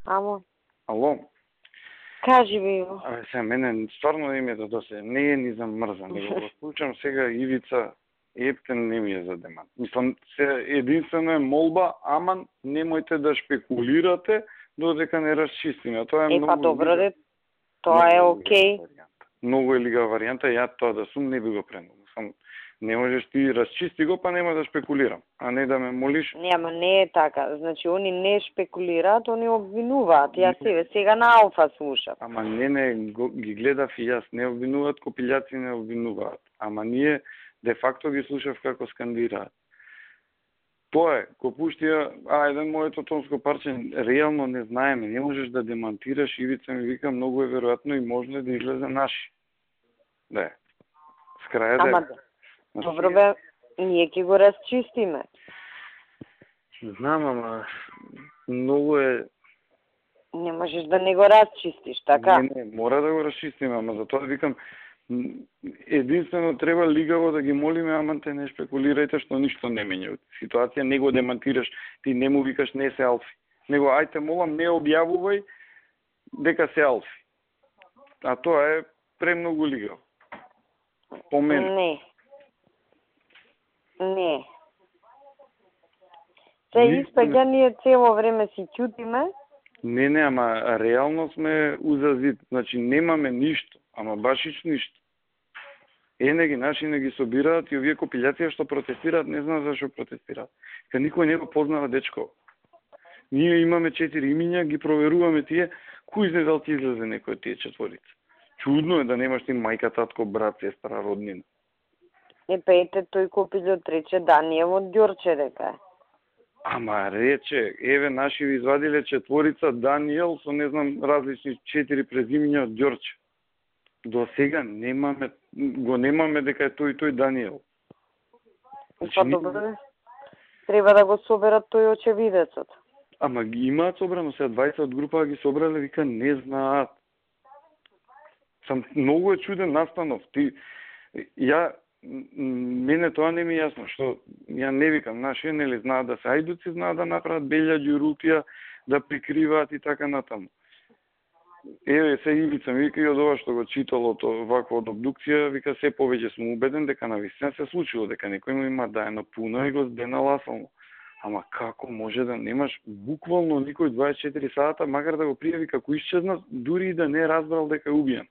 Амо, Ало? кажи ми го. Сега, мене стварно не ми е да досе. Не е ни за мрза, него го случам сега Ивица Ептен не ми е за демант. Мислам, единствено е молба, ама немојте да шпекулирате додека не расчистиме. Тоа е многу... Добро, тоа е окей. Многу е лига варијанта, ја тоа да сум не би го пренул. Сам не можеш ти расчисти го, па нема да шпекулирам, а не да ме молиш. Нема, не е така. Значи, они не шпекулираат, они обвинуваат. Јас сега на Алфа слушам. Ама не, ги гледав и јас. Не обвинуваат, копилјаци не обвинуваат. Ама ние, де факто ги слушав како скандираат. Тоа е, ко пуштија, еден моето тонско парче, реално не знаеме, не можеш да демантираш, Ивица ми вика, многу е веројатно и можно да излезе наши. Да, с краја да е. Добро бе, ние ќе го расчистиме. Знам, ама многу е... Не можеш да не го расчистиш, така? Не, мора да го расчистиме, ама затоа викам, единствено треба лигаво да ги молиме, ама те не шпекулирајте што ништо не менја. Ситуација не го демантираш, ти не му викаш не се Алфи. Него ајте молам не објавувај дека се Алфи. А тоа е премногу лигаво. По мене. Не. Се испаѓа ние цело време си ќутиме. Не, ама реално сме узазит. Значи немаме ништо, ама башич ништо. Не ги собираат и овие копилјација што протестираат, не знам зашо протестираат. Ка никој не го познава дечко. Ние имаме 4 имиња, ги проверуваме тие, кој знае дали ти излезе некој од тие четворица. Чудно е да немаш ти мајка, татко, брат, сестра, роднина. Ете, тој копилјот рече Даниел од Ѓорче дека е. Ама рече, еве наши ви извадиле четворица Даниел со не знам различни 4 презимиња од Ѓорче. До сега немаме дека е тој Даниел. Па добро, треба да го соберат тој очевидецот. Ама ги имаат собрано, сега 20 од група ги собрале, вика не знаат. Сам многу е чуден настанов. Мене тоа не ми е јасно, што ја не викам, наши нели знаат да се ајдуци, знаат да направат белја ѓурупија, да прикриваат и така натаму. Еве се Ивица ми вика и од ова што го читало вакво од обдукција, вика се повеќе сум убеден дека навистина се случило, дека некој му има даено пуно и го здена ласално. Ама како може да немаш буквално никој 24 сата, макар да го пријави како исчезна, дури и да не разбрал дека е убиен.